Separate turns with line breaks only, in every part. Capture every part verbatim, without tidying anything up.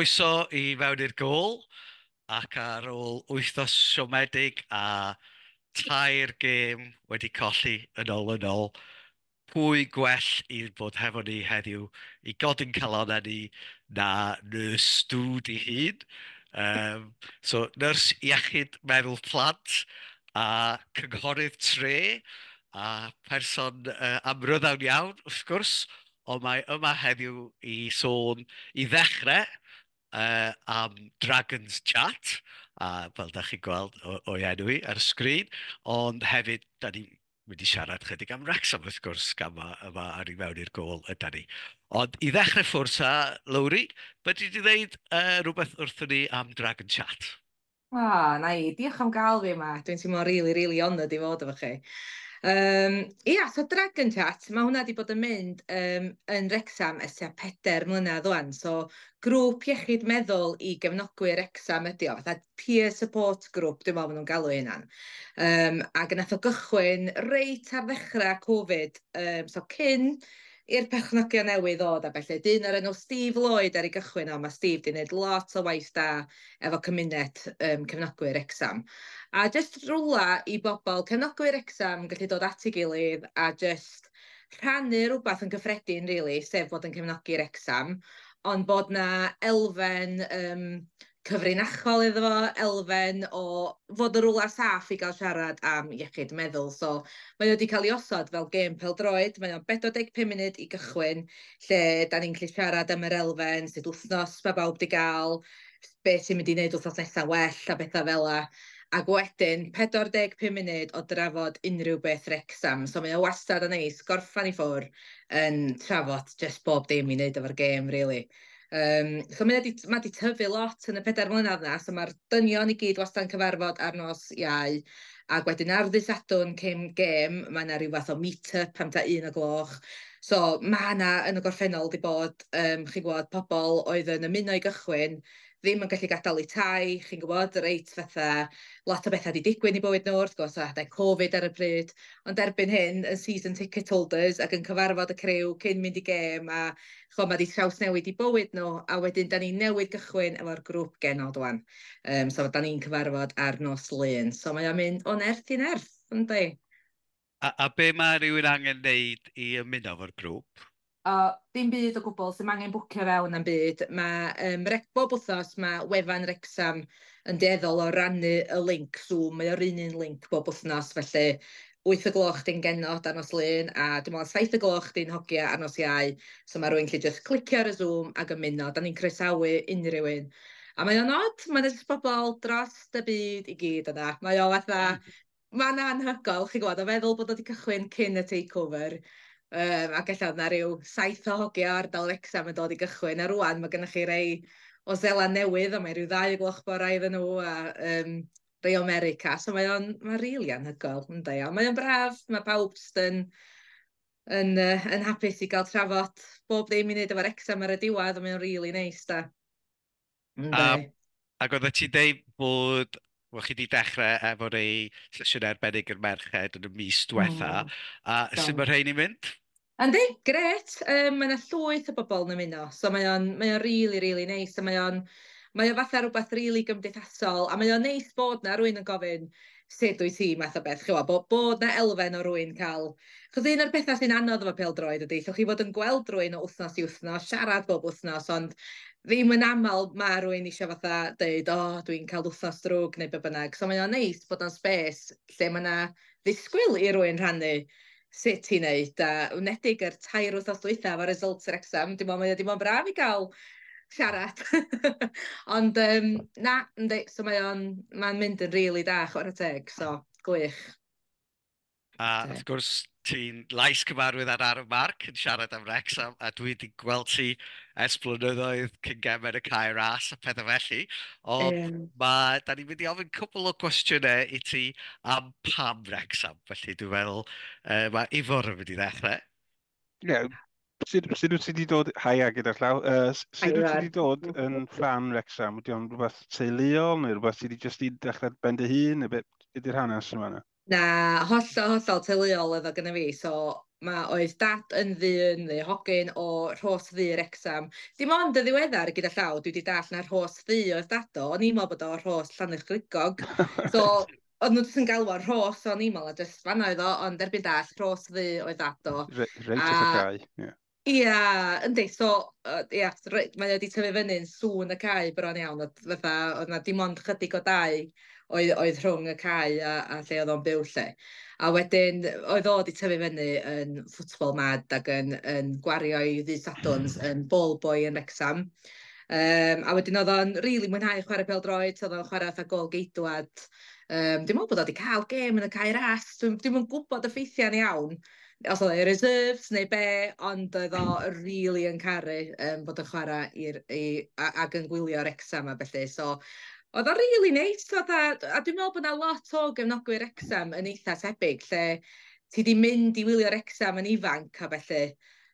Croeso i Mewn i'r Gôl, ac ar ôl wythnos siomedig a tair gêm wedi colli yn ôl yn ôl, pwy gwell i bod hefo ni heddiw i godi'n calonnau ni na Nyrs Dwd ei hun. Um, so, nyrs iechyd meddwl plant a cynghorydd tre a person uh, amryddawn iawn, wrth gwrs, ond mae yma heddiw i sôn i ddechrau uh, am Dragons Chat, a fel da chi'n gweld o'i enw i ar y sgrin, ond hefyd, da ni'n mynd i siarad chydig am Wrexham wrth gwrs, gan ma, yma ar i mewn i'r gôl yda ni. Ond i ddechrau ffwrdd ta, Lowri, fedri di ddeud uh, rhywbeth wrthyn ni am Dragon Chat?
O, oh, na i, diolch am gael fi yma. Dwi'n teimlo really, really honoured i fod efo chi. Um, ia, so Dragon Chat, mae hwnna wedi bod yn mynd um, yn Wrexham ers tua pedair mlynedd ŵan. So, grŵp iechyd meddwl i gefnogwyr Wrexham ydi o, fatha peer support group, dwi'n meddwl maen nhw'n galw hynna'n. Um, ac nath o gychwyn reit ar ddechrau Covid, um, so cyn i'r perchnogion newydd ddod a felly. Dyn o'r enw Steve Lloyd ar ei gychwyn o, mae Steve di wneud lot o waith da efo cymuned um, cefnogwyr Wrexham. A jyst rwla i bobl cefnogwyr Wrexham gallu dod at ei gilydd a jyst rhannu rhywbeth yn gyffredin, really, sef bod yn cefnogi Wrexham, ond bod na elfen um, cyfrinachol iddo fo, elfen o fod yn rwla saff i gael siarad am iechyd meddwl. So mae o wedi cael ei osod fel gêm pêl-droed, mae o'n pedwar deg pump munud i gychwyn, lle da ni'n gallu siarad am yr elfen, sut wythnos mae bawb wedi gael, beth sy'n mynd i wneud wythnos nesaf well a bethau fel 'a. Ac wedyn, pedwar deg pump munud o drafod unrhyw beth Wrexham. So mae o wastad yn neis, gorffan i ffwr yn trafod just bob dim i wneud efo'r gêm, really. Um, so mae wedi, mae wedi tyfu lot yn y pedair mlynedd na, so mae'r dynion i gyd wastad yn cyfarfod ar nos Iau, ac wedyn ar ddydd Sadwrn cyn gêm, mae yna rhyw fath o meet-up am ta un o gloch. So mae yna yn y gorffennol wedi bod, um, chi'n gwybod, pobl oedd yn ymuno i gychwyn, ddim yn gallu gadael eu tai, chi'n gwybod, reit fatha lot o bethau wedi digwydd i bywyd nhw, wrth gwrs, adeg Covid ar y pryd, ond erbyn hyn, yn season ticket holders ac yn cyfarfod y criw cyn mynd i gêm, a ch'mo, mae wedi trawsnewid i bywyd nhw, a wedyn da ni'n newydd gychwyn efo'r grŵp genod wan. Um, so da ni'n cyfarfod ar nos Lun, so mae o'n mynd o nerth i nerth, yndi?
A, a be mae rhywun angen wneud i ymuno efo'r grŵp?
O, dim byd o gwbl, sy'n angen bwcio fewn am byd. Mae, um, bob wythnos mae wefan Wrexham yn dueddol o rannu y link Zoom, mae o'r un un link bob wythnos, felly wyth o gloch di'n genod ar nos Lun, a dwi'n meddwl saith o gloch di'n hogia ar nos Iau, so mae rhywun gallu just clicio ar y Zoom ac ymuno. Da ni'n croesawu unrhyw un. A mae o'n od, mae'n jyst bobl dros y byd i gyd yna. Mae o fatha, mae'n anhygoel, chi'n gwybod, o feddwl bod o wedi cychwyn cyn y takeover. Um, ac ella oedd 'na ryw saith o hogia ardal Wrexham yn dod i gychwyn, a rwan mae gennych chi rei o Seland Newydd, a mae rhyw ddau o gloch bora iddyn nhw, a um, rei o America. So mae o'n mae'n rili anhygoel, yndi. A mae o'n braf, mae pawb jyst yn, yn, uh, yn hapus i gael trafod bob ddim i wneud efo'r Wrexham ar y diwedd, a mae o'n rili neis, da.
A, ac oeddet ti'n deud bod wel, chi wedi dechrau efo rei sesiwn arbennig i'r merched yn y mis diwetha. Mm, a sut mae rhain i'n mynd?
Yndi, gret. Um, mae yna llwyth o bobl yn ymuno, so mae o'n mae o'n really, really neis, a mae o'n mae o fatha rhywbeth really gymdeithasol, a mae o'n neis bod na rywun yn gofyn sut wyt ti math o beth, ch'mo', bod, bod na elfen o rywun cael. Chos un o'r pethau sy'n anodd efo pêl-droed ydy, llwch chi fod yn gweld rywun o wythnos i wythnos, siarad bob wythnos, ond ddim yn aml mae rywun eisiau fatha deud, "O, oh, dwi'n cael wythnos drwg" neu be bynnag. So mae o'n neis bod o'n space lle mae yna ddisgwyl i rywun rhannu sut ti'n neud, a enwedig yr tair wythnos dwytha efo results yr Wrexham, dim ond mae o dim ond braf i gael siarad. Ond um, na, yndi, so mae o'n mae'n mynd yn rili da, chwarae teg, so gwych.
A wrth gwrs, ti'n lais cyfarwydd ar Ar y Marc yn siarad am Wrexham, a dwi wedi gweld ti ers blynyddoedd cyn gemau y Cae Ras a pethau felly. Ond um, ma, da ni'n mynd i ofyn cwbl o gwestiynau i ti am pam Wrexham. Felly dwi'n meddwl uh, mae Ifor yn mynd i ddechrau.
Ie, yeah, sut, sut wyt ti wedi dod... Haia gyda llaw. Uh, sut wyt ti wedi dod yn ffan Wrexham? Ydy o'n rhywbeth teuluol neu rhywbeth ti wedi jyst i dechrau ben dy hun? Neu beth ydy'r hanes yma yna?
Na, hollol, hollol teuluol oedd o gynna fi, so ma' oedd dad yn ddyn neu hogyn o Rhos Ddu Wrecsam. Dim ond y ddiweddar gyda llaw, dwi wedi dallt na Rhos Ddu oedd dad o, o'n i'n meddwl bod o Rhos Llanerchrugog. So, oedd nhw jyst yn galw o Rhos o'n i'n meddwl, a jyst fan'na oedd o, ond erbyn dallt, Rhos Ddu oedd dad o.
Reit wrth y cae, ie.
Ia, yndi, so, uh, ia, mae o wedi tyfu fyny'n sŵn y cae bron iawn, oedd fatha, oedd 'na dim ond chydig o dai oedd, oedd rhwng y cae a, a lle oedd o'n byw lle. A wedyn, oedd o wedi tyfu fyny yn football mad ac yn, yn gwario i ddydd Sadwrns yn ball boy yn Wrecsam. Um, a wedyn oedd o'n rili really mwynhau chwarae pêl-droed, oedd o'n chwarae fatha gôl geidwad. Um, dwi'n meddwl bod o wedi cael gêm yn y Cae Ras, dwi'n dwi gwybod y ffeithiau'n iawn, os oedd e reserves neu be, ond oedd o really yn caru um, bod yn chwarae i'r, i, a, ac yn gwylio Wrecsam a felly. So, oedd o'n really neis, fatha, a dwi'n meddwl bod 'na lot o gefnogwyr Wrecsam yn eitha tebyg, lle ti di mynd i wylio Wrecsam yn ifanc a felly.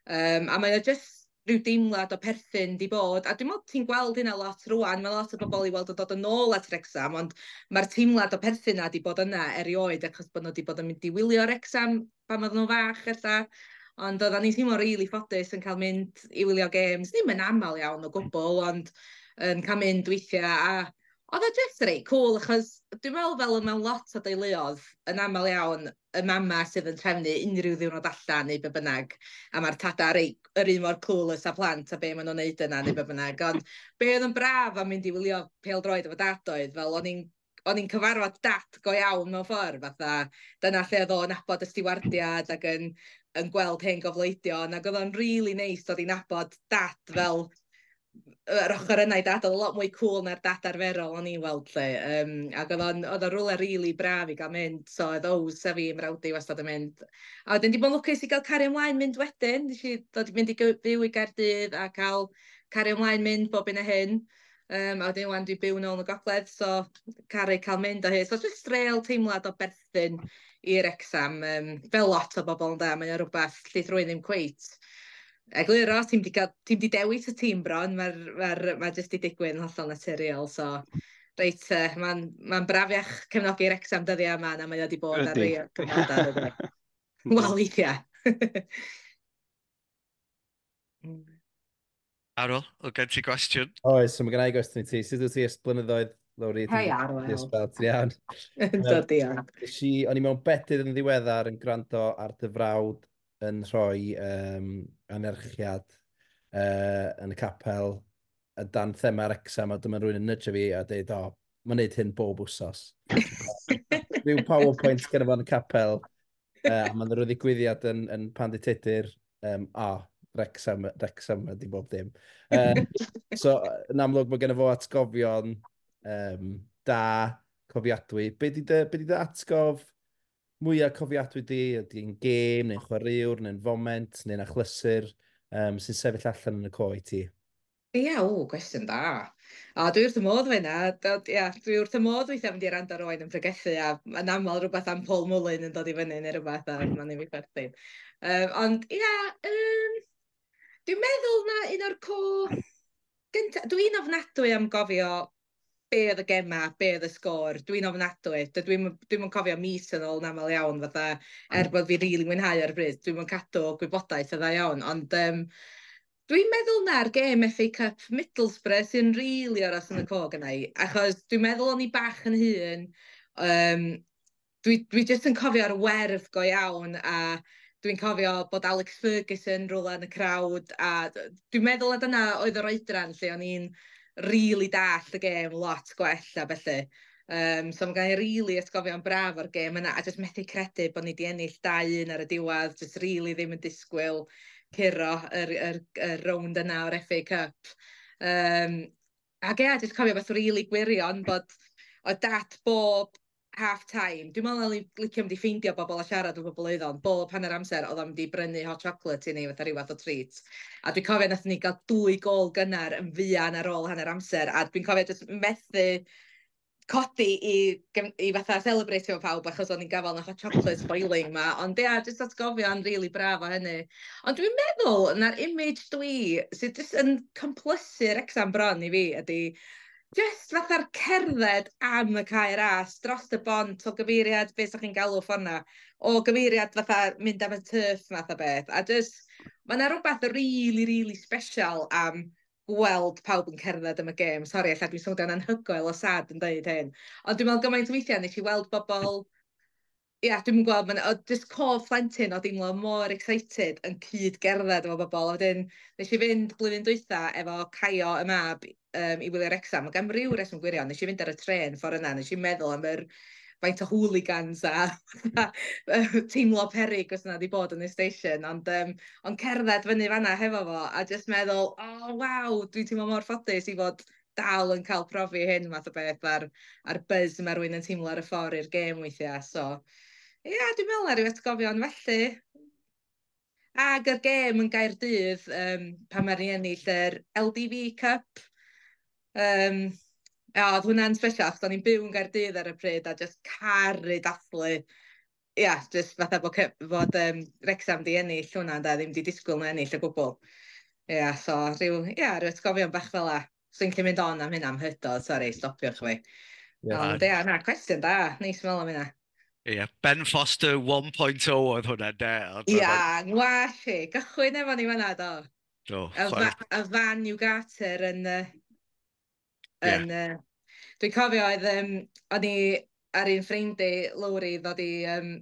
Um, a mae o just rhyw deimlad o perthyn di bod, a dwi'n meddwl ti'n gweld hynna lot rwan, mae lot o bobl i weld yn dod yn ôl at Wrecsam, ond mae'r teimlad o perthyn na di bod yna erioed, achos bod nhw wedi bod yn mynd i wylio Wrecsam pan oedden nhw'n fach ella. Ond oedden ni'n teimlo rili ffodus yn cael mynd i wylio games, ddim yn aml iawn o gwbl, ond yn cael mynd weithiau, a oedd o just reit cool, achos dwi'n meddwl fel mewn lot o deuluoedd, yn aml iawn, y mama sydd yn trefnu unrhyw ddiwrnod allan neu be bynnag, a mae'r tada reit yr un mor clueless a plant a be maen nhw'n neud yna neu be bynnag. Ond be oedd yn braf am mynd i wylio pêl-droed efo dad oedd, fel o'n i'n o'n i'n cyfarfod dad go iawn mewn ffordd, fatha dyna lle oedd o'n nabod y stiwardiad ac yn, yn gweld hen gofleidion, ac oedd o'n really neis dod i nabod dad fel yr ochr yna i dad, oedd lot mwy cool na'r dad arferol o'n i'n weld lle. Um, ac oedd o'n oedd o'n rhywle rili braf i gael mynd, so oedd Ows a fi mrawd i wastad yn mynd. A wedyn di bod yn lwcus i gael cario ymlaen mynd wedyn, nes i ddod mynd i fyw i Gaerdydd a cael cario ymlaen mynd bob un a hyn. Um, a wedyn wan dwi'n byw nôl yn y gogledd, so caru cael mynd o hyd. So just real teimlad o berthyn i'r Wrecsam, um, fel lot o bobl yn da, mae o rhywbeth lle rhywun ddim cweit egluro, ti'n di, ti di dewis y tîm bron, mae'r ma ma jyst di digwydd yn hollol naturiol, so reit, uh, mae'n ma brafiach cefnogi'r Wrecsam dyddiau yma na mae o wedi bod ar rei o'r cyfnodau. Wel, weithiau.
Arwel, o gen ti gwestiwn?
Oes, so mae gen i gwestiwn i ti. Sut wyt ti ers blynyddoedd, Lowri?
Hei, Arwel.
Ti'n iawn?
Dod iawn.
Nes i, o'n i mewn bedydd yn ddiweddar yn gwrando ar dy frawd yn rhoi um, anerchiad uh, yn y capel dan thema Wrecsam, a dyma rhywun yn nudge fi a dweud, o, mae'n neud hyn bob wsos. Rhyw PowerPoint gyda fo yn y capel, uh, a mae'n rhyw ddigwyddiad yn, yn Pandy Tudur, um, a, Wrecsam, Wrecsam ydi bob dim. Uh, so, yn amlwg, mae genna fo atgofion um, da, cofiadwy. Be di dy, be di dy atgof mwyaf cofiadwy di? Ydy'n gêm, neu'n chwaraewr, neu'n foment, neu'n achlysur um, sy'n sefyll allan yn y co i ti?
Ia, o, gwestiwn da. A dwi wrth y modd fe na. Ia, dwi wrth y modd weithiau mynd i rando ar Owain yn pregethu, a yn aml rhywbeth am Paul Mullin yn dod i fyny neu rhywbeth, a mae'n ei fi chwerthin. Um, ond ia, um, dwi'n meddwl na un o'r co gynta, dwi'n ofnadwy am gofio be oedd y gema, be oedd y sgôr, dwi'n ofnadwy. Dwi'n dwi'n cofio mis yn ôl yn aml iawn, fatha, er bod fi rili mwynhau ar y bryd, dwi'n cadw gwybodaeth yn dda iawn, ond um, dwi'n meddwl na'r gêm F A Cup Middlesbrough sy'n rili aros yn y cog yna i, achos dwi'n meddwl o'n i bach yn hŷn, um, dwi, dwi jyst yn cofio'r werf go iawn, a dwi'n cofio bod Alex Ferguson rwla yn y crowd, a dwi'n meddwl na dyna oedd yr oedran lle o'n i'n rili dallt y gêm lot gwell a felly. Um, so mae gen i rili atgofion braf o'r gêm yna, a jyst methu credu bod ni wedi ennill dau un ar y diwedd, jyst rili ddim yn disgwyl curo yr, yr, yr rownd yna o'r F A Cup. Um, ac ia, jyst cofio beth rili gwirion bod oedd dad bob half time, dwi'n meddwl o'n i'n licio mynd i ffeindio bobl a siarad efo bobl oedd o'n, bob hanner amser oedd o'n mynd i brynu hot chocolate i ni fatha rhyw fath o treat. A dwi'n cofio nathon ni gael dwy gôl gynnar yn fuan ar ôl hanner amser, a dwi'n cofio jyst methu codi i, i fatha celebrate efo pawb achos o'n i'n gafal yn hot chocolate boiling ma, ond ia, jyst atgofio'n rili braf o hynny. Ond dwi'n meddwl na'r image dwi, sydd jyst yn complysu'r Wrecsam bron i fi, ydy Just fatha'r cerdded am y Cae Ras, dros y bont o gyfeiriad, beth sa'ch chi'n galw ffordd 'na, o gyfeiriad fatha mynd am y turf math o beth. A just, mae yna rhywbeth really, really special am gweld pawb yn cerdded am y gêm. Sori, ella dwi'n swnio'n anhygoel o sad yn dweud hyn. Ond dwi'n meddwl gymaint o weithiau nes i weld bobl, ia, dwi'n gweld, ma'n, o, just cof plentyn o deimlo mor excited yn cyd gerdded efo bobl. A wedyn, nes i fynd blwyddyn dwytha efo Caio y mab um, i wylio Wrexham, ac am ryw reswm gwirion, nes i fynd ar y tren ffordd yna, nes i meddwl am yr faint o hooligans a teimlo perig os yna wedi bod yn y station, ond, um, ond cerdded fyny fanna hefo fo, a just meddwl, oh waw, dwi'n teimlo mor ffodus i fod dal yn cael profi hyn math o beth a'r, a'r buzz mae rhywun yn teimlo ar y ffordd i'r gêm weithiau. So, ie, yeah, dwi'n meddwl ar ryw atgofion felly. Ag yr gêm yn Gaerdydd, um, pan mae'r ni ennill yr L D V Cup. Um, ia, oedd hwnna'n special, achos o'n i'n byw yn Gaerdydd ar y pryd a just caru dathlu. Ia, just fatha bod, fod um, Wrexham di ennill hwnna, da, ddim di disgwyl na ennill o gwbl. Ia, so rhyw, ia, rhyw atgofion bach fel 'a. So i'n gallu mynd on am hynna am hydod, sori, stopiwch fi.
Yeah.
Ond ia, na, cwestiwn da, neis meddwl am hynna.
Ie, yeah, Ben Foster un pwynt zero oedd hwnna, de. Oedd
Ia, ngwas i, gychwyn efo ni fanna, do.
Do,
Y,
chwarae-
fa y Van Ugarte yn... Uh,
Ie.
yn uh, dwi'n cofio oedd, um, o'n i ar un ffrind i, Lowri, ddod i um,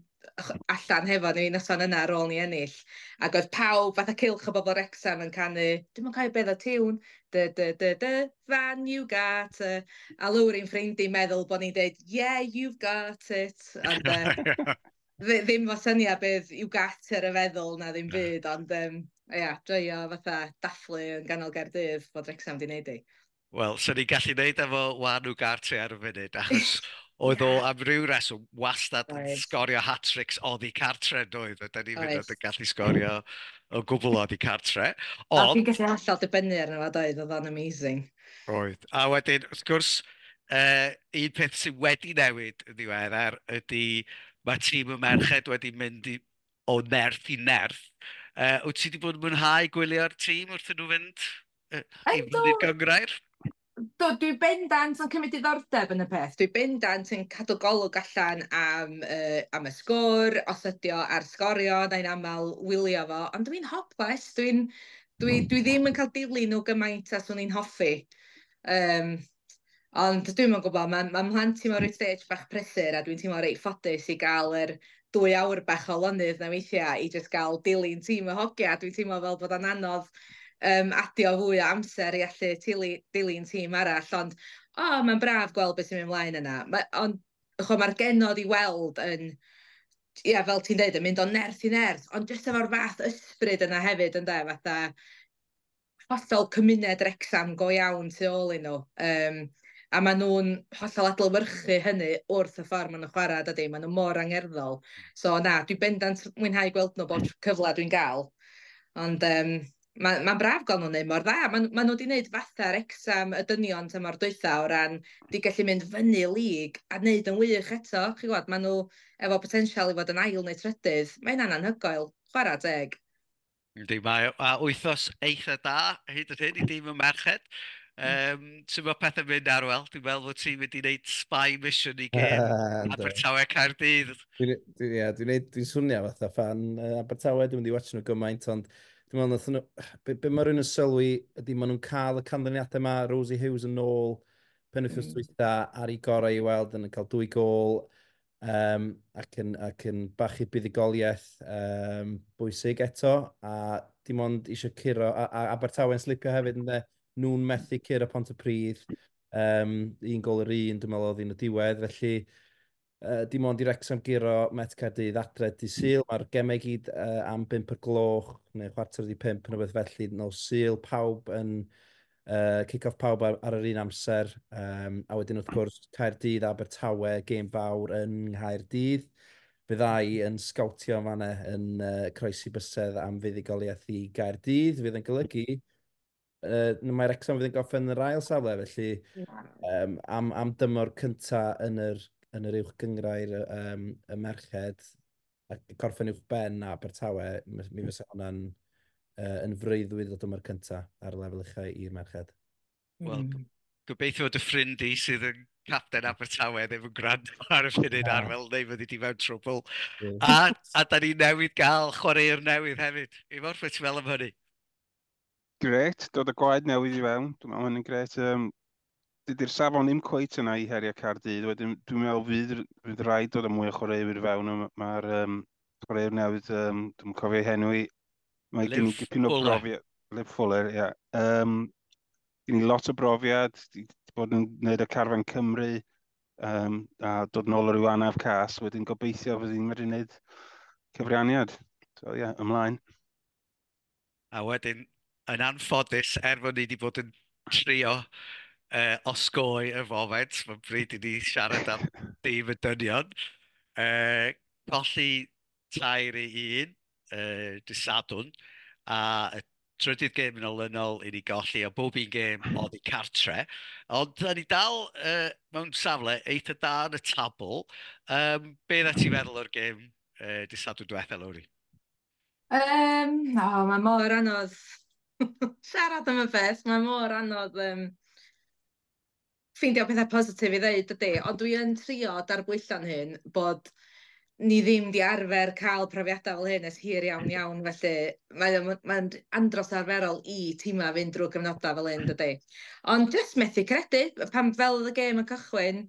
allan hefo ni noson yna ar ôl ni ennill. Ac oedd pawb, fatha cylch o bobl Wrexham yn canu, dwi'n cofio beth o tiwn, dy dy dy dy, Van Ugarte. A Lowri'n ffrind i meddwl bod ni'n deud, "Yeah, you've got it." Ond uh, ddim fo syniad beth Ugarte y feddwl na ddim byd, ond um, ia, joio fatha dathlu yn ganol Gaerdydd bod Wrexham di wneud i.
Wel, so ni'n gallu neud efo Juan Ugarte ar y funud, achos oedd o am ryw reswm wastad yn
Oedd.
sgorio hat-tricks oddi cartre, doedd? A da ni'n mynd
Oedd.
yn gallu sgorio o gwbl oddi cartre.
A
Ond,
fi'n gallu hollol dibynnu arno fo, doedd, oedd o'n amazing.
Oedd. A wedyn, wrth gwrs, uh, un peth sydd wedi newid yn ddiweddar ydy mae tîm y merched wedi mynd i, o nerth i nerth. Uh, wyt ti wedi bod yn mwynhau gwylio'r tîm wrth nhw fynd uh, i
Yndw.
fyny'r gynghrair?
Do, dwi bendant yn cymryd diddordeb yn y peth. Dwi bendant yn cadw golwg allan am, uh, am y sgôr, os ydi o ar Sgorio, na i'n aml wylio fo. Ond dwi'n hopeless, dwi'n dwi, dwi ddim yn cael dilyn nhw gymaint a swn i'n hoffi. Um, ond dwi'm yn gwybod, mae ma mhlant i mewn rhyw stage bach prysur a dwi'n teimlo reit ffodus i gael yr dwy awr bach o lonydd na weithiau i just gael dilyn tîm y hogia. Dwi'n teimlo fel bod o'n anodd um, adio fwy o amser i allu tili, dilyn tîm arall, ond o, oh, mae'n braf gweld beth sy'n mynd ymlaen yna. Ma, ond ch'mo, mae'r genod i weld yn, ia, fel ti'n deud, yn mynd o nerth i nerth, ond jyst efo'r fath ysbryd yna hefyd, ynde, fatha hollol cymuned Wrexham go iawn tu ôl i nhw. Um, a maen nhw'n hollol adlewyrchu hynny wrth y ffordd maen nhw'n chwarae, dydy, maen nhw mor angerddol. So na, dwi bendant mwynhau gweld nhw bob cyfle dwi'n gael. Ond um, mae'n ma braf gweld nhw'n neud mor dda. Maen ma nhw wedi gwneud fatha Wrexham y dynion tymor dwytha o ran di gallu mynd fyny lig a wneud yn wych eto. Chi'n gwybod, maen nhw efo potensial i fod yn ail neu trydydd. Mae hynna'n anhygoel. Chwarae teg.
Yndi, mae a wythnos eitha da hyd yn hyn i dîm y merched. Um, Sut mae pethau'n mynd, Arwel? Dwi'n meddwl fod ti'n mynd i wneud spy mission i gêm
Yndw.
Abertawe Caerdydd.
Dwi'n dwi, ie, dwi'n neud, dwi'n swnio fatha fan uh, Abertawe, dwi'n mynd i watch nhw gymaint, ond dwi'n meddwl nathon nhw, be, be mae rhywun yn sylwi ydy maen nhw'n cael y canlyniadau yma, Rosie Hughes yn ôl, penwythnos
Mm.
dwytha ar ei gorau i weld yn cael dwy gôl, um, ac, yn, ac yn bachu buddugoliaeth um, bwysig eto, a dim ond eisiau curo, a, a Abertawe'n slipio hefyd, ynde, nhw'n methu curo Pontypridd, um, un gol yr un, dwi'n meddwl oedd un y diwedd, felly uh, dim ond i Wrexham guro Met Caerdydd adre dydd Sul. Mae'r gemau gyd uh, am bump o'r gloch, neu chwarter wedi pump, neu beth felly, nos Sul, pawb yn uh, kick-off pawb ar, ar yr un amser. Um, a wedyn wrth gwrs Caerdydd, Abertawe, gêm fawr yn Nghaerdydd. Fyddai yn sgawtio fanna yn uh, croesi bysedd am fuddugoliaeth i Gaerdydd, fydd yn golygu uh, mae Wrexham fydd yn gorffen yn yr ail safle, felly um, am, am dymor cynta yn yr, yn yr uwch gynghrair um, y merched, a gorffen uwch ben Abertawe, mi mi fysa hwnna'n uh, yn freuddwyd o dymor cynta ar y lefel uchau i'r merched.
Wel,
Mm.
Gobeithio fod y ffrind i sydd yn capten Abertawe ddim yn gwrando ar y funud Arwel, neu fyddi di mewn trwbl. Yeah. A, a da ni newydd gael chwaraewr newydd hefyd. Ifor, beth ti'n meddwl am hynny?
Gret, dod y gwaed newydd i fewn. Dwi'n meddwl hynny'n gret. Um, dydy'r safon ddim cweit yna i heriau Caerdydd. Wedyn, dwi'n meddwl fydd, fydd rhaid dod â mwy o chwaraewyr i fewn. Mae'r um, chwaraewr newydd, um, dwi'n cofio ei henw i, mae gen i dipyn o brofiad. Liv Fuller, ie. Yeah. Um, gen i lot o brofiad, di bod yn gwneud y carfan Cymru, um, a dod nôl o ryw anaf cas, wedyn gobeithio fydd hi'n medru gwneud cyfraniad. So ie, yeah, ymlaen.
A wedyn, yn anffodus, er fod ni wedi bod yn trio uh, osgoi y foment, mae'n bryd i ni siarad am dîm y dynion. Uh, colli tair i un, uh, dydd Sadwrn, a y trydydd gêm yn olynol i ni golli, a bob un gêm oedd i cartre. Ond da ni dal uh, mewn safle eitha da yn y tabl. Um, be na ti'n meddwl o'r gêm uh, dydd Sadwrn diwetha, Lowri?
Um, oh, mae mor anodd siarad am y peth, mae mor anodd um, ffeindio pethau positif i ddeud, dydy, ond dwi yn trio darbwyllo'n hyn bod ni ddim di arfer cael profiadau fel hyn ers hir iawn iawn, felly mae'n mae andros arferol i tîmau fynd drwy gyfnodau fel hyn, dydy. Ond jyst methu credu, pan fel oedd y gêm yn cychwyn,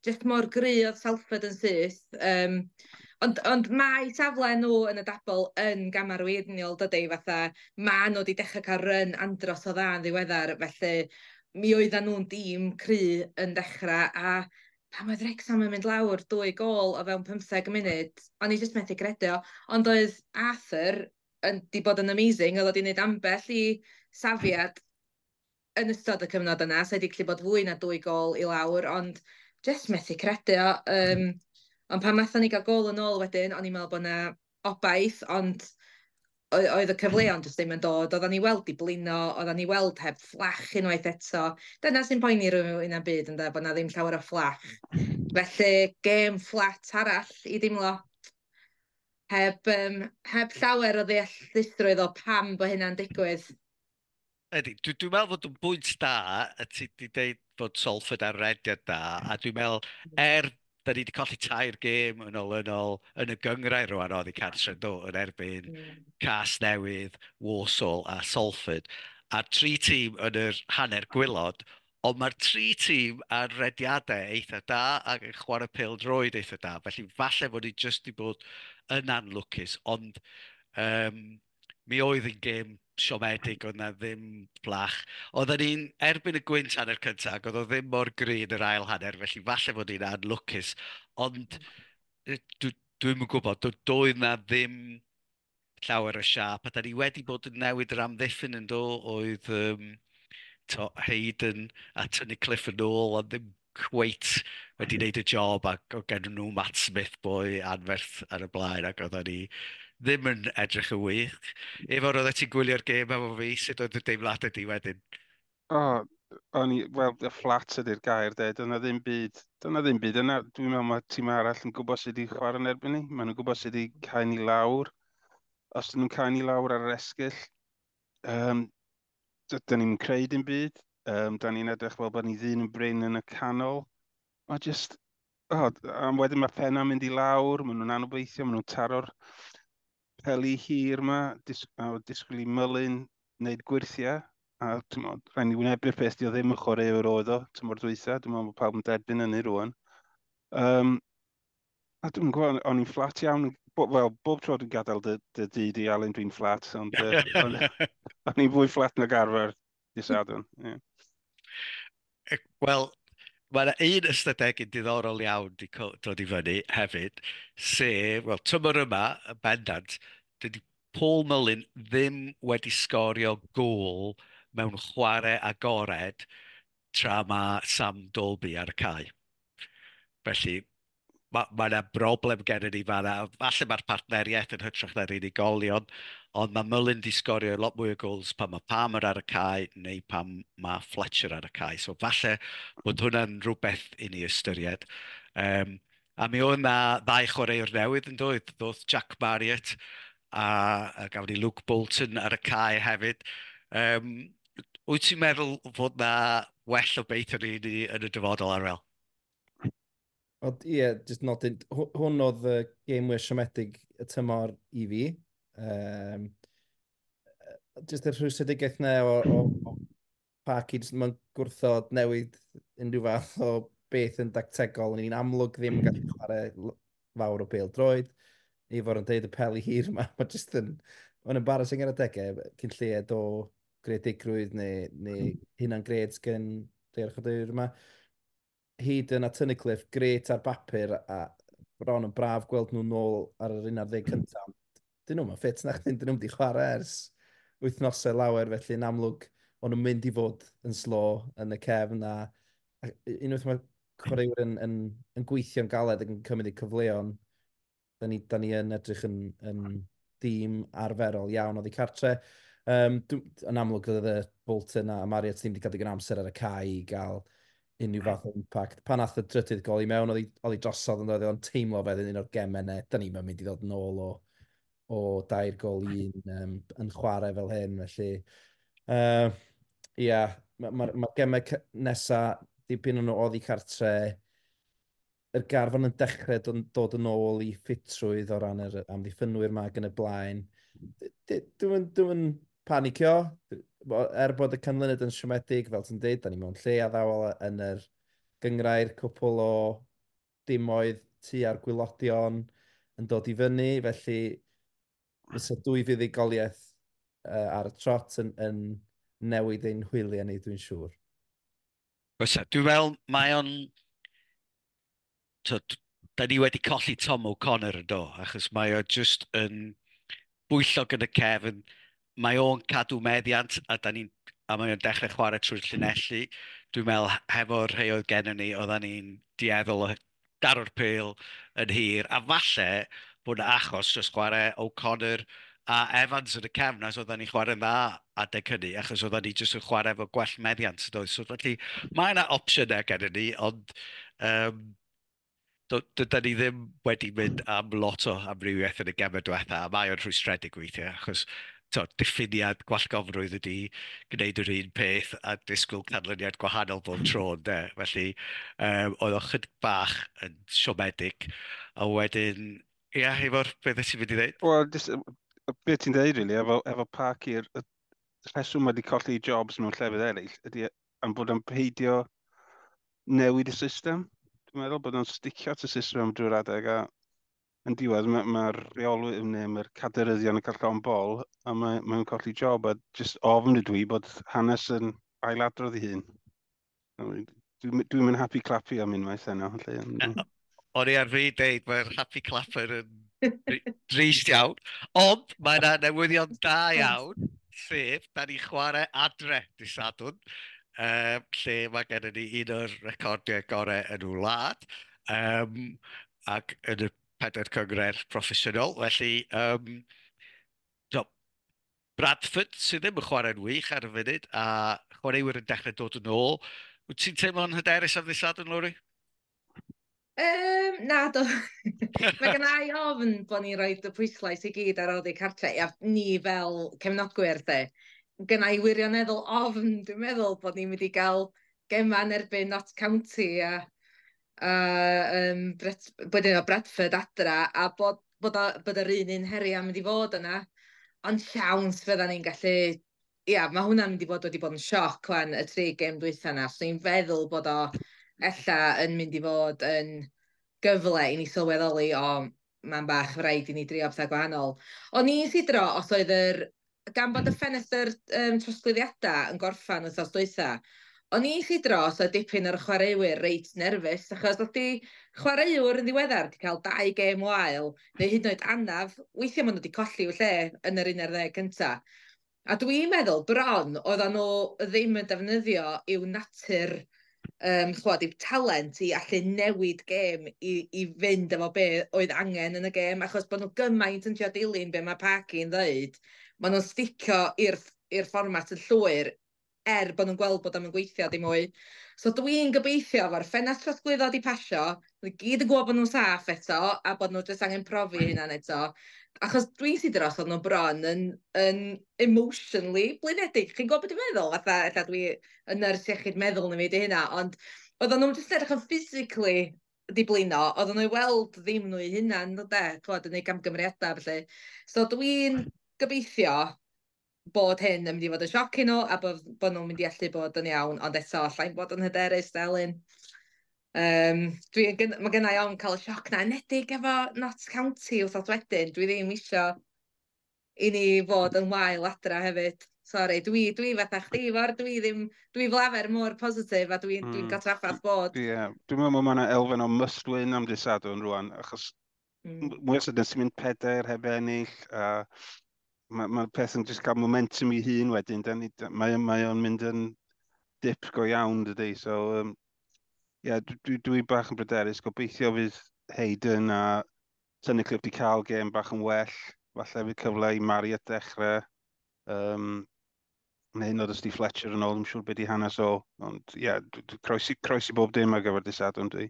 jyst mor gry oedd Salford yn syth. Um, ond, ond mae safle nhw yn y dabl yn gamarweiniol, dydy, fatha ma nhw wedi dechrau cael run andros o dda yn ddiweddar, felly mi oedden nhw'n dîm cry yn dechrau, a pan oedd Wrexham yn mynd lawr dwy gôl o fewn pymtheg munud, o'n i jyst methu credu o. Ond oedd Arthur yn, di bod yn amazing, oedd o di wneud ambell i safiad yn ystod y cyfnod yna, so wedi gallu bod fwy na dwy gôl i lawr, ond jyst methu credu o. Um, ond pan nathon ni gael gôl yn ôl wedyn, o'n i'n meddwl bod 'na obaith, ond oedd y cyfleon jyst ddim yn dod. Oedden ni weld i blino, oedden ni weld heb fflach unwaith eto. Dyna sy'n poeni rhywun yn byd, ynde, bod 'na ddim llawer o fflach. Felly, gêm fflat arall i dimlo. Heb, um, heb llawer o ddeallusrwydd o pam bod hynna'n digwydd.
Ydy, dwi'n dwi meddwl fod yn bwynt da, a ti wedi dweud bod Salford ar rediad da, a dwi'n meddwl, er da ni wedi colli tair gêm yn olynol yn y gynghrair rwan oedd i cartre do, yn erbyn mm. Casnewydd, Walsall a Salford. A'r tri tîm yn yr hanner gwaelod, ond mae'r tri tîm ar rediadau eitha da ac yn chwarae pêl-droed eitha da. Felly falle fod ni jyst wedi bod yn anlwcus, ond um, mi oedd yn gêm siomedig, oedd na ddim fflach. Oedden ni'n erbyn y gwynt hanner cyntaf, ac oedd o ddim mor gry yn yr ail hanner, felly falle fod ni'n anlwcus. Ond dwi, dwi'm yn gwybod, doedd na ddim llawer o siâp, a da ni wedi bod yn newid yr amddiffyn yn do, oedd um, to, Hayden a Tunnicliffe yn ôl, ond ddim cweit wedi wneud y job, ac oedd gen nhw Matt Smith boi anferth ar y blaen, ac oedden ni ddim yn edrych yn wych. Ifor, oeddet ti'n gwylio'r gêm efo fi, sut oedd y deimladau di wedyn?
O, o'n i, wel, y fflat ydy'r gair, de, dyna ddim byd, dyna ddim byd yna. Dwi'n meddwl mae tîm arall yn gwybod sut i chwarae yn erbyn ni. Maen nhw'n gwybod sut i cael ni lawr. Os dyn nhw'n cael ni lawr ar yr esgyll, um, dyn ni'n creu dim byd. Um, da ni'n edrych fel bod ni ddyn yn brin yn y canol. Mae just, oh, a wedyn mae penna'n mynd i lawr, maen nhw'n anobeithio, maen nhw'n taro'r peli hir yma, dis, a disgwyl i Mullin wneud gwyrthiau. A ti'n rhaid ni wynebu'r peth, di o ddim yn chwaraewr oedd o, tymor dwytha, dwi'n meddwl bod pawb yn derbyn hynny rwan. Um, a dwi'n gwybod, o'n i'n fflat iawn, bo, wel, bob tro dwi'n gadael dy, dy dŷ di, Alun, dwi'n fflat, ond uh, o'n o'n i'n fwy fflat nag arfer dydd Sadwrn. Yeah.
Wel, mae yna un ystadegyn diddorol iawn wedi dod i fyny hefyd, sef, wel, tymor yma, yn bendant, dydy Paul Mullin ddim wedi sgorio gôl mewn chwarae agored tra mae Sam Dalby ar y cae. Felly, mae ma yna broblem gennym ni fan'na. Falle mae'r partneriaeth yn hytrach na'r unigolion, ond mae Mullin di sgorio lot mwy o goals pan mae Palmer ar y cae neu pan mae Fletcher ar y cae. So falle bod hwnna'n rhywbeth i ni ystyried. Um, a mi oedd yna ddau chwaraewr newydd yn dod. Ddoth Jack Marriott a, a gafon ni Luke Bolton ar y cae hefyd. Um, wyt ti'n meddwl fod na Well obeithio ni, ni yn y dyfodol, Arwel.
Ond ie, yeah, just nodyn, hwn oedd y gêm mwy siomedig y tymor i fi. Um, just y rhwystredigaeth 'na o, o, o Parky, just mae'n gwrthod newid unrhyw fath o beth yn dactegol. Ni'n amlwg ddim yn gallu chwarae fawr o bêl droed. Ifor yn deud y peli hir yma, mae just yn, mae'n embarrassing ar adegau, cyn lleied o greadigrwydd neu, neu hunan gred gen rhai o'r chwaraewyr yma. Hyd yn a Tunnicliffe, gret ar bapur a bron yn braf gweld nhw nôl ar yr un ar ddeg cyntaf. Dyn nhw'n ffit na chdi, dyn nhw'n wedi chwarae ers wythnosau lawer, felly yn amlwg o'n nhw'n mynd i fod yn slo yn y cefn a, a unwaith mae chwaraewyr yn, yn, yn gweithio'n galed ac yn cymryd eu cyfleon, da ni, da ni yn edrych yn, yn dîm arferol iawn oddi cartre. Um, yn amlwg oedd y Bolton a Marriott ddim wedi cael digon amser ar y cae i gael unrhyw fath o impact. Pan nath y drydydd gol i mewn, oedd hi drosodd yn dod, o'n teimlo fel un o'r gemau 'na. Da ni'n mynd i ddod nôl o, o dair gol i un um, yn chwarae fel hyn. Felly, uh, ia, mae'r ma, ma gemau nesaf, dipyn o'n nhw oddi cartre, yr garfan yn dechrau dod, dod yn ôl i ffitrwydd o ran yr amddiffynwyr ma ac yn y blaen. Dwi'n dwi panicio, er bod y canlyniad yn siomedig, fel ti'n dweud, da ni mewn lle addawol yn yr gyngrair, cwpl o dimoedd tua'r gwaelodion yn dod i fyny, felly fysa dwy fuddugoliaeth uh, ar y trot yn, yn newid ein hwyliau ni, dwi'n siŵr.
Fysa, dwi'n meddwl mae o'n... So, da ni wedi colli Tom O'Connor yn do, achos mae o just yn bwyllog yn y cefn, mae o'n cadw meddiant a, da ni'n, a mae o'n dechrau chwarae trwy'r llinelli. Dwi'n meddwl hefo'r rhai oedd gennym ni, oedden ni'n dueddol o daro'r pêl yn hir, a falle bod yna achos dros chwarae O'Connor a Evans yn y cefn, as oedden ni'n chwarae'n dda adeg hynny, achos oedden ni jyst yn chwarae efo gwell meddiant. Doedd? So felly mae yna opsiynau gennym ni, ond um, dyda ni ddim wedi mynd am lot o amrywiaeth yn y gemau diwetha, a mae o'n rhwystredig weithiau, achos to, diffiniad gwallgofrwydd ydy gwneud yr un peth a disgwyl canlyniad gwahanol bob tro, ynde. Felly, um, oedd o chydig bach yn siomedig, a wedyn, ia, Ifor, beth ti'n mynd i ddweud?
Wel, just, beth ti'n dweud, really, efo, efo Parky, y rheswm wedi colli jobs mewn llefydd eraill, ydy am bod o'n peidio newid y system. Dwi'n meddwl bod o'n sticio at y system am drwy'r adeg, a yn diwedd mae'r ma rheolwyr neu mae'r cadeiryddion yn cael llond bol a mae'n mae colli job, a just ofn ydw i bod hanes yn ailadrodd ei hun. Dwi'n dwi mynd happy clappy am unwaith heno.
O'n i ar fi deud, mae'r happy clapper yn drist iawn. Ond mae yna newyddion da iawn, sef, da ni chwarae adre dydd Sadwrn, um, lle mae gennym ni un o'r recordiau gorau yn y wlad, um, ac yn y pedair cynghrair proffesiynol. Felly, um, so, Bradford sydd ddim yn chwarae'n wych ar y funud, a chwaraewyr yn dechrau dod yn ôl. Wyt ti'n teimlo'n hyderus am ddydd Sadwrn, Lowri?
Um, na, do. Mae gen i ofn bod ni'n rhoi y pwyslais i gyd ar oddi cartre, a ni fel cefnogwyr, de. Gen i wirioneddol ofn, dwi'n meddwl, bod ni'n mynd i gael gema yn erbyn Notts County a, a um, Bret, bod yna Bradford adra, a bod, bod, o, bod yr un un heriau mynd i fod yna. Ond siawns fydda ni'n gallu... Ia, mae hwnna'n mynd i fod wedi bod yn sioc wan, y tri gêm dwytha yna. So ni'n feddwl bod o ella yn mynd i fod yn gyfle i ni sylweddoli, o, mae'n bach rhaid i ni drio pethau gwahanol. O'n i'n sidro, os oedd yr... Gan bod y ffenestr um, trosglwyddiadau yn gorffan wythnos dwytha, o'n i'n sidro os oedd dipyn o'r chwaraewyr reit nerfus, achos oedd di chwaraewr yn ddiweddar wedi cael dau gêm wael, neu hyd yn oed anaf, weithiau maen nhw wedi colli i'w lle yn yr un ar ddeg cynta. A dwi'n meddwl, bron, oedden nhw ddim yn defnyddio i'w natur, um, chwad, i'w talent i allu newid gêm i, i fynd efo be oedd angen yn y gêm, achos bod nhw gymaint yn trio dilyn be mae Parky'n ddeud, maen nhw'n sticio i'r i'r fformat yn llwyr, er bod nhw'n gweld bod o'm yn gweithio dim mwy. So dwi'n gobeithio efo'r ffenest trosglwyddo di pasio, Nhw gyd yn gwybod bod nhw'n saff eto, a bod nhw jyst angen profi hynna'n eto. Achos dwi'n sydd dros oedd nhw bron yn, yn emotionally blinedig. Chi'n gwybod beth dwi'n meddwl? Fatha, ella dwi yn nyrs iechyd meddwl na fi di hynna, ond oedden nhw'n jyst edrych yn physically di blino, oedden nhw i weld ddim nhw eu hunan, de, ch'mod, yn neud camgymeriadau, felly. So dwi'n gobeithio bod hyn yn mynd i fod yn sioc i nhw, a bod, bod nhw'n mynd i allu bod yn iawn, ond eto, allai'n bod yn hyderus, Delyn. Um, dwi, mae gynna i ofn cael y sioc na, enedig efo Notts County wythnos wedyn, dwi ddim isio i ni fod yn wael adra hefyd. Sorry, dwi, dwi fatha chdi, Ifor, dwi ddim, dwi fel arfer mor positif a dwi'n dwi, mm. cael trafferth bod.
Ie, yeah. Dwi'n meddwl mae yna elfen o must win am dydd Sadwrn rwan, achos mm. mwy o sydyn sy'n mynd pedair heb ennill, a mae ma peth yn jyst cael momentum i hun wedyn, mae, mae o'n mynd yn dip go iawn, dydy, so um, yeah, dwi, dwi, dwi bach yn bryderus, gobeithio fydd Hayden a Tunnicliffe wedi cael gêm bach yn well, falle fydd cyfle i Marriott dechrau, um, neu hyd yn oed os di Fletcher yn ôl, ddim siŵr beth di hanes o, ond ie, yeah, croesi, croesi bob dim ar gyfer dydd Sadwrn dwi.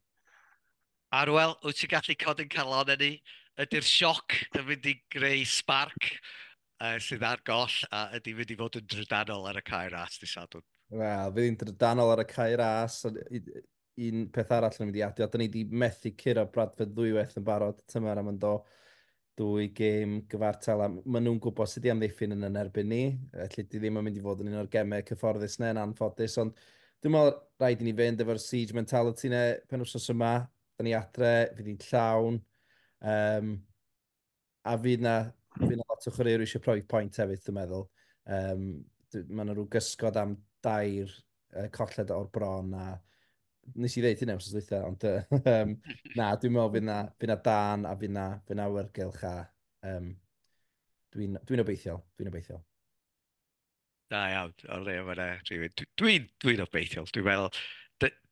Arwel, wyt ti'n gallu codi'n calon ni? Ydy'r sioc yn mynd i greu spark uh, sydd ar goll a ydy mynd i fod yn drydanol ar y Cae Ras dydd Sadwrn?
Wel, fydd hi'n drydanol ar y Cae Ras. Un peth arall yn mynd i adio, da ni wedi methu curo Bradford ddwywaith yn barod tymor am yn do dwy gêm gyfartal, a maen nhw'n gwybod sut i amddiffyn yn yn erbyn ni, felly di ddim yn mynd i fod yn un o'r gemau cyfforddus neu yn anffodus, ond dwi'n meddwl rhaid i ni fynd efo'r siege mentality ne penwythnos yma, da ni adre, fydd hi'n llawn, um, a fydd na, fydd na lot o chwaraewyr eisiau profi pwynt hefyd, dwi'n meddwl. Um, mae yna rhyw gysgod am dair uh, colled o'r bron, a nes i ddeud hynna wrth dweitha, ond um, na, dwi'n meddwl fydd na, fydd na dan a fydd na, fydd na awyrgylch a um, dwi'n dwi obeithiol, dwi'n obeithiol.
Da iawn, o le mae yna rhywun. Dwi'n dwi obeithiol, dwi'n meddwl,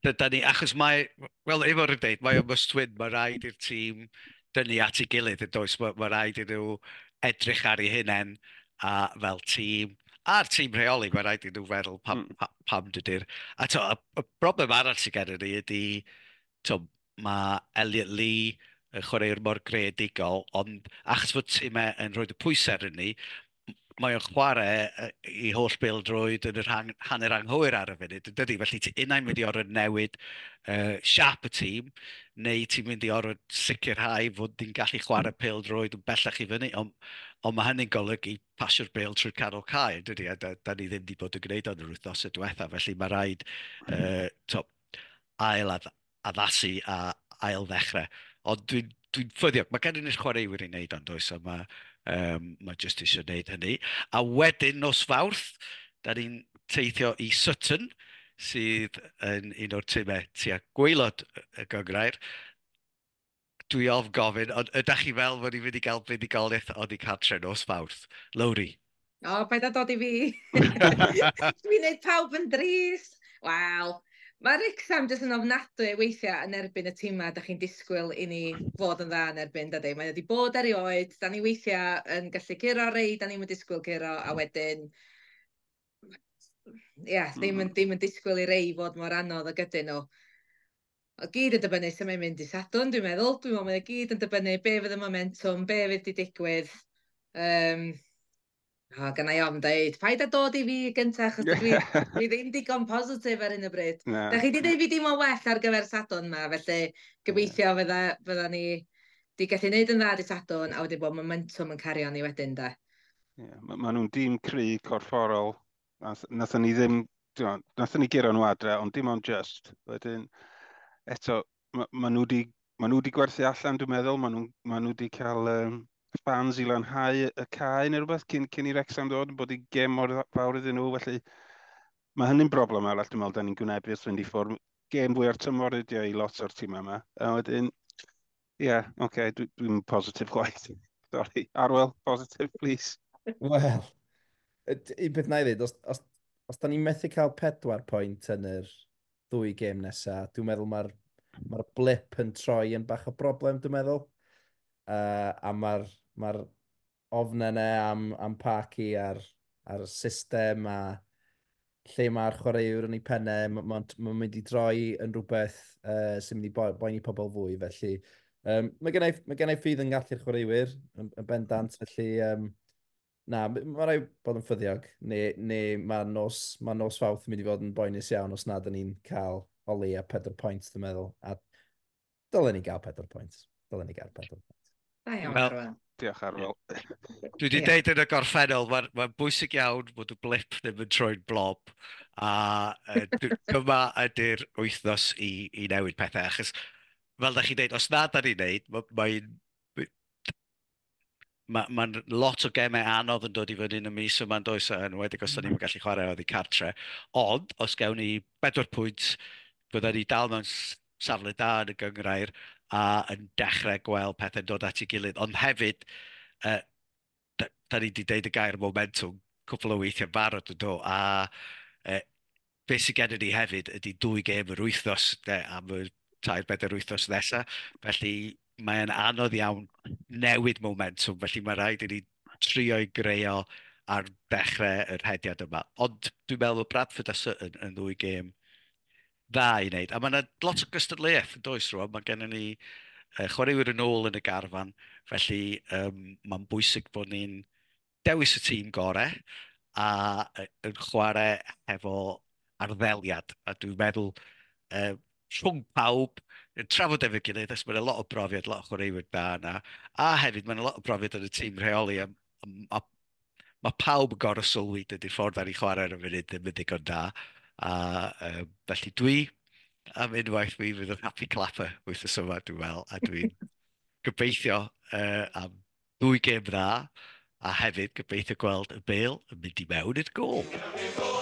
da ni, achos mae, wel, efo'r yn deud, mae o must win, mae rhaid i'r tîm dynnu at ei gilydd yn does, mae, mae rhaid i nhw edrych ar eu hunain a fel tîm, a'r tîm rheoli, mae rhaid i nhw feddwl pam, mm. pam, pam dydy'r... A to, y, y broblem arall sydd gennym ni ydy, to, mae Elliot Lee yn chwaraewr mor greadigol, ond achos fod tîmau yn rhoi y pwysau ar ni, mae o'n chwarae i holl bêl-droed yn yr hang, hanner anghywir ar y funud, dydy? Felly ti unai'n mynd i orfod newid uh, siap y tîm, neu ti'n mynd i orfod sicrhau fod ni'n gallu chwarae pêl-droed yn bellach i fyny, ond on mae hynny'n golygu pasio'r bêl trwy'r canol cae, dydy? A da, da ni ddim wedi bod yn gwneud o'n yr wythnos y diwetha, felly mae rhaid uh, to, ail addasu a ail ddechrau. Ond dwi'n dwi ffyddiog, mae gen ni'r chwaraewyr i wneud ond oes, a mae Um, mae jyst eisiau gwneud hynny. A wedyn nos Fawrth, da ni'n teithio i Sutton, sydd yn un o'r timau tua gwaelod y gynghrair. Dwi ofn gofyn, ond ydych chi fel fod i'n mynd i gael buddugoliaeth oddi cartre nos Fawrth? Lowri?
O, paid â dod i fi. Dwi'n gwneud pawb yn drist. Wel, mae Wrexham jyst yn ofnadwy weithiau yn erbyn y tîmau da chi'n disgwyl i ni fod yn dda yn erbyn, dydy. Mae wedi bod erioed, da ni weithiau yn gallu curo rei, da ni'n disgwyl curo, a wedyn, ia, yeah, ddim yn, ddim yn disgwyl i rei fod mor anodd ag ydyn nhw. O gyd yn dibynnu sut mae'n mynd i Sadwrn, dwi'n meddwl. Dwi'n meddwl mae o gyd yn dibynnu be fydd y momentum, be fydd di digwydd. Um, O, gynna i ofn deud, paid â dod i fi gyntaf, achos dwi, dwi ddim digon positif ar hyn o bryd. Na. Da chi di dweud fi dim ond well ar gyfer Sadwrn ma, felly gobeithio fydda, fydda ni di gallu neud yn dda di Sadwrn, a wedyn bod momentum yn cario ni wedyn, da.
Yeah, ma, ma nhw'n dîm cry corfforol. Nathon ni ddim, nathon ni guro nhw adre, ond dim ond just. Wedyn, eto, ma, ma nhw di, ma nhw di gwerthu allan, dwi'n meddwl. Ma nhw, ma nhw di cael um, fans i lanhau y cae neu rhywbeth cyn, cyn i Wrexham ddod, bod i gêm mor fawr iddyn nhw, felly mae hynny'n broblem arall, dwi'n meddwl, da ni'n gwynebu wrth fynd i ffwrdd. Gêm fwy ar tymor ydi o i lot o'r tîm yma. A wedyn, ie, yeah, oce, okay, dwi'n dwi positif chwaith. Sorry. Arwel, positif, please.
Wel, un peth na i ddweud, os, os, os da ni'n methu cael pedwar pwynt yn yr ddwy gêm nesaf, dwi'n meddwl mae'r mae'r blip yn troi yn bach o broblem, dwi'n meddwl. Uh, a mae'r mae'r ofnau yna am, am Parky a'r, a'r system a lle mae'r chwaraewr yn ei pennau, mae'n ma, ma mynd i droi yn rhywbeth uh, sy'n mynd i bo boeni pobl fwy, felly um, mae gennau, mae gennau ffydd yn gallu'r chwaraewyr yn, yn bendant, felly um, na, mae rhaid bod yn ffyddiog, neu, neu mae nos, mae nos Fawrth yn mynd i fod yn boenus iawn os nad ydyn ni'n cael o leia pedwar pwynt, dwi'n meddwl. A dylen ni gael pedwar pwynt. Dylen ni gael pedwar pwynt.
Da iawn,
Wel,
Arwel.
Diolch, Arwel.
Dwi wedi
Ie.
deud yn y gorffennol, mae'n ma bwysig iawn bod y blip ddim yn troi'n blob. A uh, dyma ydy'r wythnos i, i newid pethau. Achos, fel da chi'n deud, os na da ni'n neud, mae'n mae ma lot o gemau anodd yn dod i fyny yn y mis yma, yn does, yn enwedig os da ni'n gallu chwarae oddi cartre. Ond, os gewn ni bedwar pwynt, byddwn ni dal mewn safle da yn y gynghrair a yn dechrau gweld pethau'n dod at ei gilydd. Ond hefyd, uh, da, da ni wedi deud y gair momentum cwpl o weithiau barod yn do, a uh, beth sydd gennym ni hefyd ydy dwy gêm yr wythnos de, am y tair bedair wythnos nesaf. Felly mae'n anodd iawn newid momentum, felly mae rhaid i ni trio i greu o ar dechrau yr hediad yma. Ond dwi'n meddwl bod Bradford a Sutton yn ddwy gêm dda i wneud. A mae yna lot o gystadleuaeth yn does rwan. Mae gennym ni uh, chwaraewyr yn ôl yn y garfan, felly um, mae'n bwysig bod ni'n dewis y tîm gorau a uh, yn chwarae hefo arddeliad. A dwi'n meddwl uh, rhwng pawb, yn trafod efo'i gilydd, os mae'n lot o brofiad, lot o chwaraewyr da yna, a hefyd mae'n lot o brofiad yn y tîm rheoli, a, a, a mae pawb yn gorfod sylwi dydy'r ffordd ar ei chwarae ar y funud ddim yn ddigon da. A uh, felly dwi, am unwaith, mi fydd yn happy clapper wythnos yma, dwi'n meddwl, a dwi'n gobeithio uh, am ddwy gêm dda, a hefyd gobeithio gweld y bêl yn mynd i mewn i'r gôl.